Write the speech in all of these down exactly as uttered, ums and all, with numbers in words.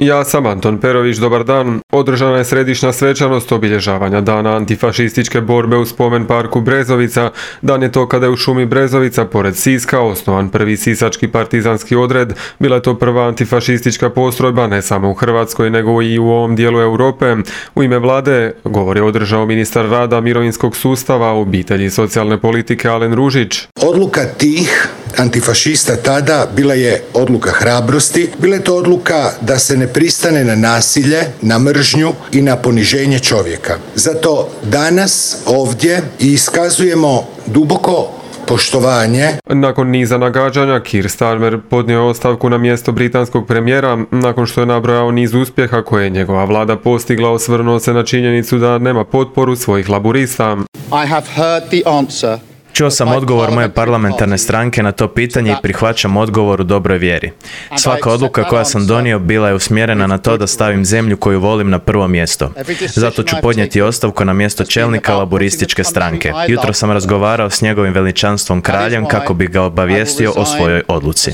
Ja sam Anton Perović, dobar dan. Održana je središnja svečanost obilježavanja Dana antifašističke borbe u spomen parku Brezovica. Dan je to kada je u šumi Brezovica, pored Siska, osnovan prvi sisački partizanski odred. Bila je to prva antifašistička postrojba ne samo u Hrvatskoj, nego i u ovom dijelu Europe. U ime vlade govor je održao ministar rada, mirovinskog sustava, obitelji i socijalne politike Alen Ružić. Odluka tih antifašista tada bila je odluka hrabrosti, bila je to odluka da se ne pristane na nasilje, na mržnju i na poniženje čovjeka. Zato danas ovdje iskazujemo duboko poštovanje. Nakon niza nagađanja, Keir Starmer podnio je ostavku na mjesto britanskog premijera nakon što je nabrojao niz uspjeha koje je njegova vlada postigla, osvrnuo se na činjenicu da nema potporu svojih laburista. I have heard the answer. Čuo sam odgovor moje parlamentarne stranke na to pitanje i prihvaćam odgovor u dobroj vjeri. Svaka odluka koja sam donio bila je usmjerena na to da stavim zemlju koju volim na prvo mjesto. Zato ću podnijeti ostavku na mjesto čelnika laburističke stranke. Jutro sam razgovarao s njegovim veličanstvom kraljem kako bi ga obavijestio o svojoj odluci.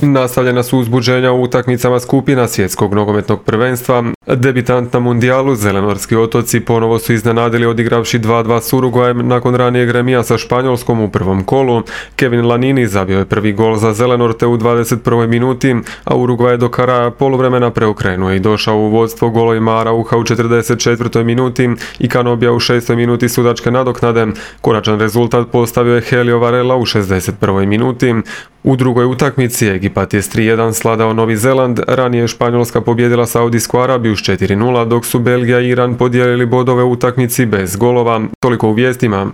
Nastavljena su uzbuđenja u utakmicama skupina svjetskog nogometnog prvenstva. Debitant na mundijalu, Zelenorski otoci, ponovo su iznenadili odigravši dva dva s Urugvajem nakon ranijeg remija sa Španjolskom u prvom kolu. Kevin Lanini zabio je prvi gol za Zelenorte u dvadeset prvoj minuti, a Urugvaj je do kraja poluvremena preokrenuo i došao u vodstvo golovima Arauha u četrdeset četvrtoj minuti i Kanobija u šestoj minuti sudačke nadoknade. Konačan rezultat postavio je Helio Varela u šezdeset prvoj minuti. U drugoj utakmici Egipat je s tri jedan sladao Novi Zeland, ranije je Španjolska pobjedila Saudijsku Arabiju s četiri nula, dok su Belgija i Iran podijelili bodove u utakmici bez golova. Toliko u vijestima.